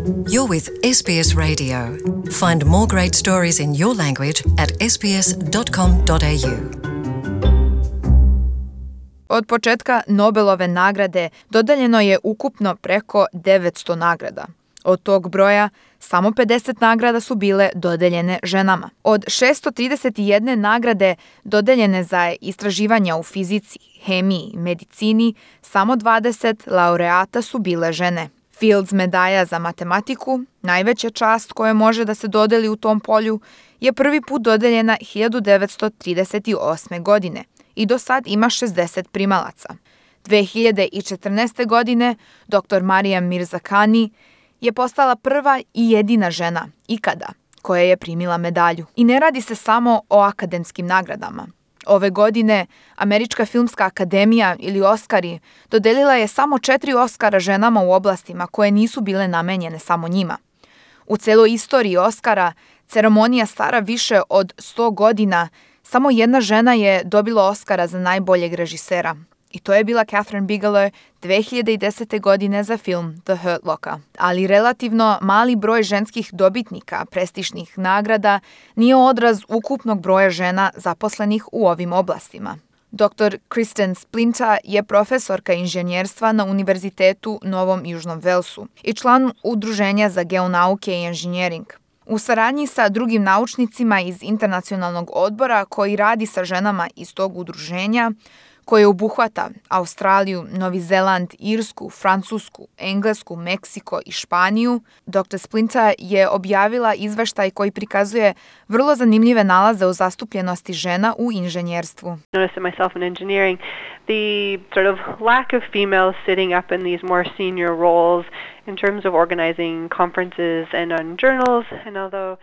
You're with SBS Radio. Find more great stories in your language at sbs.com.au. Od početka Nobelove nagrade dodeljeno je ukupno preko 900 nagrada. Od tog broja samo 50 nagrada su bile dodeljene ženama. Od 631 nagrade dodeljene za istraživanja u fizici, hemiji, medicini, samo 20 laureata su bile žene. Fields medalja za matematiku, najveća čast koja može da se dodeli u tom polju, je prvi put dodeljena 1938. godine i do sad ima 60 primalaca. 2014. godine dr. Maryam Mirzakhani je postala prva i jedina žena ikada koja je primila medalju. I ne radi se samo o akademskim nagradama. Ove godine Američka filmska akademija ili Oskari dodelila je samo 4 Oskara ženama u oblastima koje nisu bile namenjene samo njima. U celoj istoriji Oskara ceremonija stara više od 100 godina, samo jedna žena je dobila Oskara za najboljeg režisera. I to je bila Kathryn Bigelow 2010. godine za film The Hurt Locker. Ali relativno mali broj ženskih dobitnika prestižnih nagrada nije odraz ukupnog broja žena zaposlenih u ovim oblastima. Dr. Kristen Splinter je profesorka inženjerstva na Univerzitetu Novom Južnom Velsu i član Udruženja za geonauke i inženjering. U saradnji sa drugim naučnicima iz Internacionalnog odbora koji radi sa ženama iz tog udruženja, koje obuhvata Australiju, Novi Zeland, Irsku, Francusku, Englesku, Meksiko i Španiju, Dr. Splinter je objavila izveštaj koji prikazuje vrlo zanimljive nalaze o zastupljenosti žena u inženjerstvu. Noticed it myself in engineering, the sort of lack of females sitting up in these more senior roles in terms of organizing conferences and on journals, and although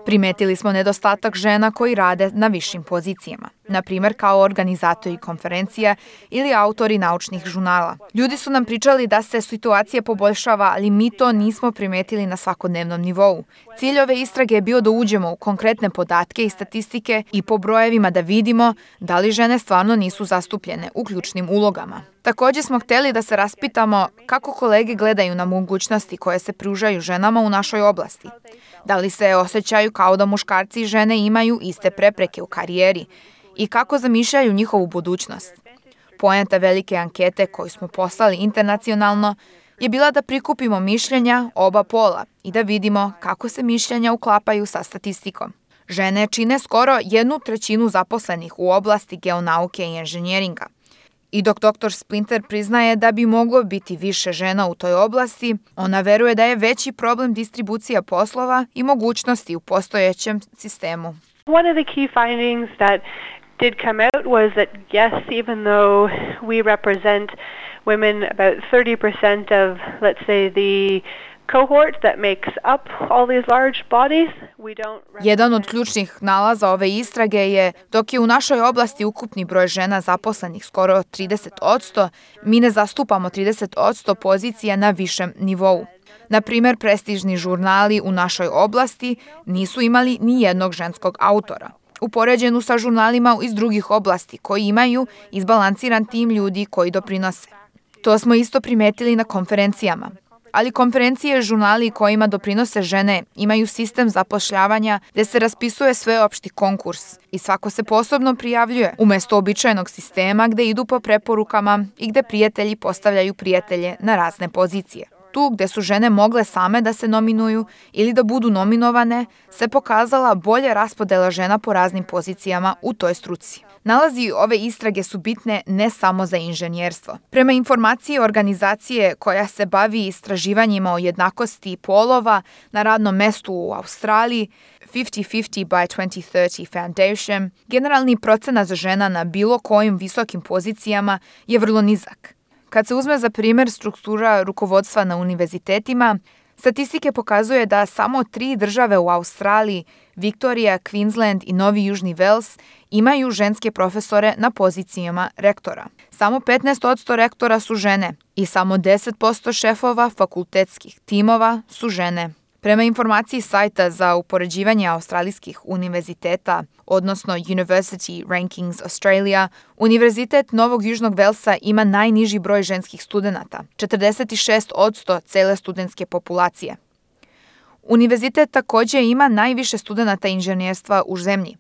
primetili smo nedostatak žena koji rade na višim pozicijama, na primjer kao organizatori konferencija ili autori naučnih žurnala. Ljudi su nam pričali da se situacija poboljšava, ali mi to nismo primetili na svakodnevnom nivou. Cilj ove istrage je bio da uđemo u konkretne podatke i statistike i po brojevima da vidimo da li žene stvarno nisu zastupljene u ključnim ulogama. Također smo htjeli da se raspitamo kako kolege gledaju na mogućnosti koje se pružaju ženama u našoj oblasti. Da li se osjećaju kao da muškarci i žene imaju iste prepreke u karijeri i kako zamišljaju njihovu budućnost. Poenta velike ankete koju smo poslali internacionalno je bila da prikupimo mišljenja oba pola i da vidimo kako se mišljenja uklapaju sa statistikom. Žene čine skoro 1/3 zaposlenih u oblasti geonauke i inženjeringa. I dok dr. Splinter priznaje da bi moglo biti više žena u toj oblasti, ona veruje da je veći problem distribucija poslova i mogućnosti u postojećem sistemu. One of the key findings that did come out was that yes, even though we represent women about 30% of, let's say, the cohort that makes up all these large bodies, we don't represent... Jedan od ključnih nalaza ove istrage je, dok je u našoj oblasti ukupni broj žena zaposlenih skoro 30%, mi ne zastupamo 30% pozicija na višem nivou. Na primjer, prestižni žurnali u našoj oblasti nisu imali ni jednog ženskog autora, u poređenju sa žurnalima iz drugih oblasti koji imaju izbalansiran tim ljudi koji doprinose. To smo isto primetili na konferencijama. Ali konferencije i žurnali kojima doprinose žene imaju sistem zapošljavanja gdje se raspisuje sveopšti konkurs i svako se posebno prijavljuje umjesto običajnog sistema gdje idu po preporukama i gdje prijatelji postavljaju prijatelje na razne pozicije. Tu gdje su žene mogle same da se nominuju ili da budu nominovane, se pokazala bolja raspodela žena po raznim pozicijama u toj struci. Nalazi ove istrage su bitne ne samo za inženjerstvo. Prema informaciji organizacije koja se bavi istraživanjima o jednakosti polova na radnom mestu u Australiji, 50-50 by 2030 Foundation, generalni procenat žena na bilo kojim visokim pozicijama je vrlo nizak. Kad se uzme za primjer struktura rukovodstva na univerzitetima, statistike pokazuje da samo 3 države u Australiji, Viktorija, Queensland i Novi Južni Vels, imaju ženske profesore na pozicijama rektora. Samo 15% rektora su žene i samo 10% šefova fakultetskih timova su žene. Prema informaciji sajta za upoređivanje australijskih univerziteta, odnosno University Rankings Australia, Univerzitet Novog Južnog Velsa ima najniži broj ženskih studenata, 46% cele studentske populacije. Univerzitet takođe ima najviše studenata inženjerstva u zemlji.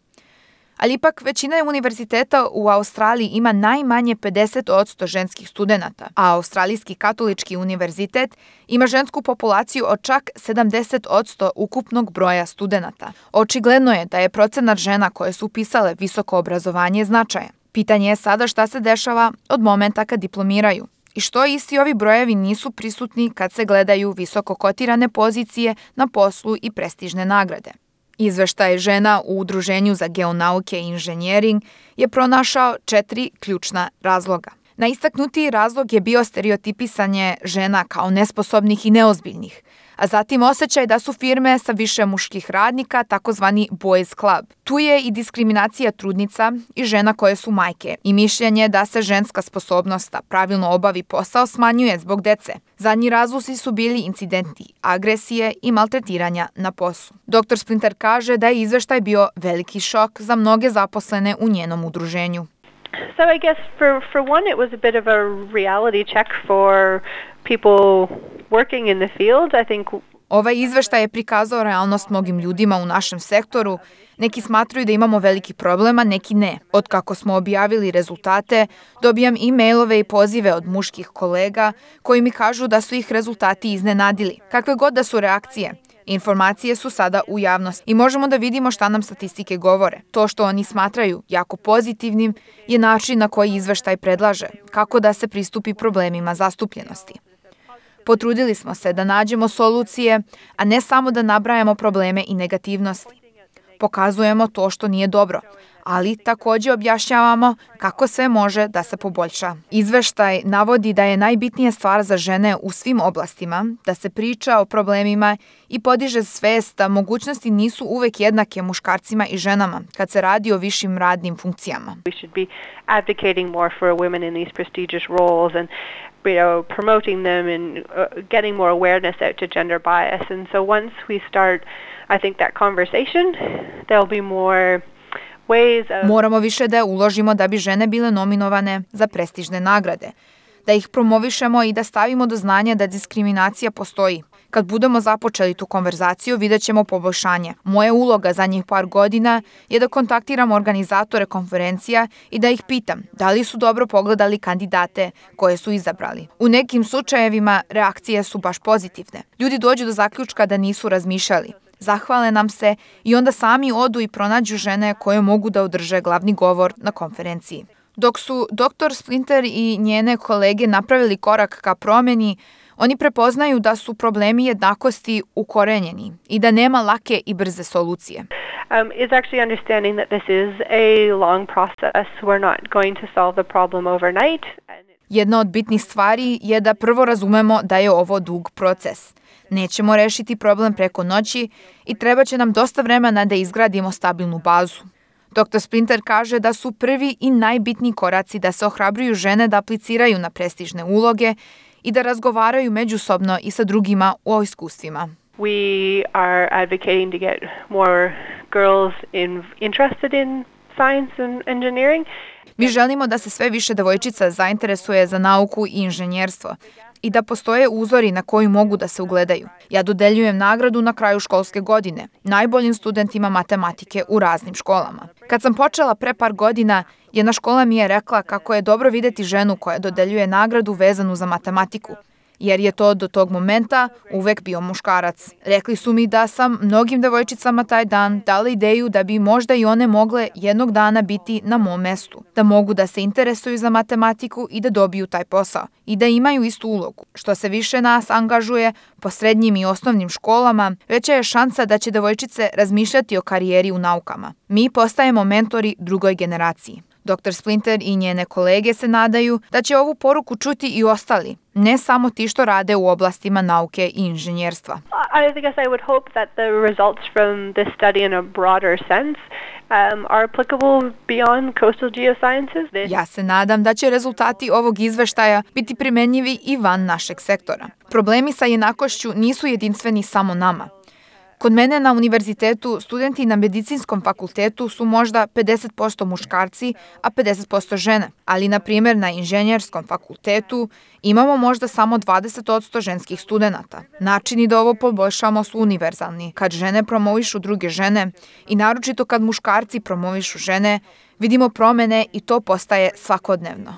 Ali ipak većina univerziteta u Australiji ima najmanje 50% ženskih studenata, a Australijski katolički univerzitet ima žensku populaciju od čak 70% ukupnog broja studenata. Očigledno je da je procenat žena koje su upisale visoko obrazovanje značajan. Pitanje je sada šta se dešava od momenta kad diplomiraju i što isti ovi brojevi nisu prisutni kad se gledaju visoko kotirane pozicije na poslu i prestižne nagrade. Izveštaj žena u Udruženju za geonauke i inženjering je pronašao 4 ključna razloga. Najistaknutiji razlog je bio stereotipisanje žena kao nesposobnih i neozbiljnih, a zatim osjećaj da su firme sa više muških radnika, takozvani boys club. Tu je i diskriminacija trudnica i žena koje su majke i mišljenje da se ženska sposobnost da pravilno obavi posao smanjuje zbog dece. Zadnji razlozi su bili incidenti agresije i maltretiranja na poslu. Dr. Splinter kaže da je izveštaj bio veliki šok za mnoge zaposlene u njenom udruženju. So I guess for one it was a bit of a reality check for people working in the field. I think Ovaj izveštaj je prikazao realnost mnogim ljudima u našem sektoru. Neki smatruju da imamo veliki problema, neki ne. Od kako smo objavili rezultate, dobijam e-mailove i pozive od muških kolega koji mi kažu da su ih rezultati iznenadili. Kakve god da su reakcije, informacije su sada u javnosti i možemo da vidimo šta nam statistike govore. To što oni smatraju jako pozitivnim je način na koji izveštaj predlaže, kako da se pristupi problemima zastupljenosti. Potrudili smo se da nađemo solucije, a ne samo da nabrajamo probleme i negativnosti. Pokazujemo to što nije dobro, ali takođe objašnjavamo kako sve može da se poboljša. Izveštaj navodi da je najbitnija stvar za žene u svim oblastima, da se priča o problemima i podiže svest da mogućnosti nisu uvek jednake muškarcima i ženama kad se radi o višim radnim funkcijama. we should be advocating more for women in these prestigious roles and promoting them and getting more awareness out to gender bias. And so once we start, I think, that conversation, there'll be more ways of... Moramo više da uložimo da bi žene bile nominovane za prestižne nagrade, da ih promovišemo i da stavimo do znanja da diskriminacija postoji. Kad budemo započeli tu konverzaciju, vidjet ćemo poboljšanje. Moja uloga zadnjih par godina je da kontaktiram organizatore konferencija i da ih pitam da li su dobro pogledali kandidate koje su izabrali. U nekim slučajevima reakcije su baš pozitivne. Ljudi dođu do zaključka da nisu razmišljali. Zahvale nam se i onda sami odu i pronađu žene koje mogu da održe glavni govor na konferenciji. Dok su dr. Splinter i njene kolege napravili korak ka promjeni, oni prepoznaju da su problemi jednakosti ukorenjeni i da nema lake i brze solucije. Is actually understanding that this is a long process. We're not going to solve the problem overnight. Jedna od bitnih stvari je da prvo razumemo da je ovo dug proces. Nećemo rešiti problem preko noći i treba će nam dosta vremena da izgradimo stabilnu bazu. Dr. Splinter kaže da su prvi i najbitniji koraci da se ohrabruju žene da apliciraju na prestižne uloge i da razgovaraju međusobno i sa drugima o iskustvima. We are advocating to get more girls interested in science and engineering. Mi želimo da se sve više devojčica zainteresuje za nauku i inženjerstvo i da postoje uzori na koji mogu da se ugledaju. Ja dodeljujem nagradu na kraju školske godine najboljim studentima matematike u raznim školama. Kad sam počela pre par godina, jedna škola mi je rekla kako je dobro videti ženu koja dodeljuje nagradu vezanu za matematiku, jer je to do tog momenta uvek bio muškarac. Rekli su mi da sam mnogim devojčicama taj dan dala ideju da bi možda i one mogle jednog dana biti na mom mestu, da mogu da se interesuju za matematiku i da dobiju taj posao i da imaju istu ulogu. Što se više nas angažuje po srednjim i osnovnim školama, veća je šansa da će devojčice razmišljati o karijeri u naukama. Mi postajemo mentori drugoj generaciji. Dr. Splinter i njene kolege se nadaju da će ovu poruku čuti i ostali, ne samo ti što rade u oblastima nauke i inženjerstva. I guess I would hope that the results from this study in a broader sense are applicable beyond coastal geosciences. Ja se nadam da će rezultati ovog izveštaja biti primenjivi i van našeg sektora. Problemi sa jednakošću nisu jedinstveni samo nama. Kod mene na univerzitetu studenti na medicinskom fakultetu su možda 50% muškarci, a 50% žene. Ali, na primjer, na inženjerskom fakultetu imamo možda samo 20% ženskih studenata. Načini da ovo poboljšamo su univerzalni. Kad žene promovišu druge žene i naročito kad muškarci promovišu žene, vidimo promene i to postaje svakodnevno.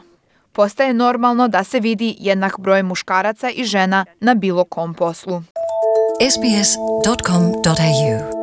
Postaje normalno da se vidi jednak broj muškaraca i žena na bilo kom poslu. sbs.com.au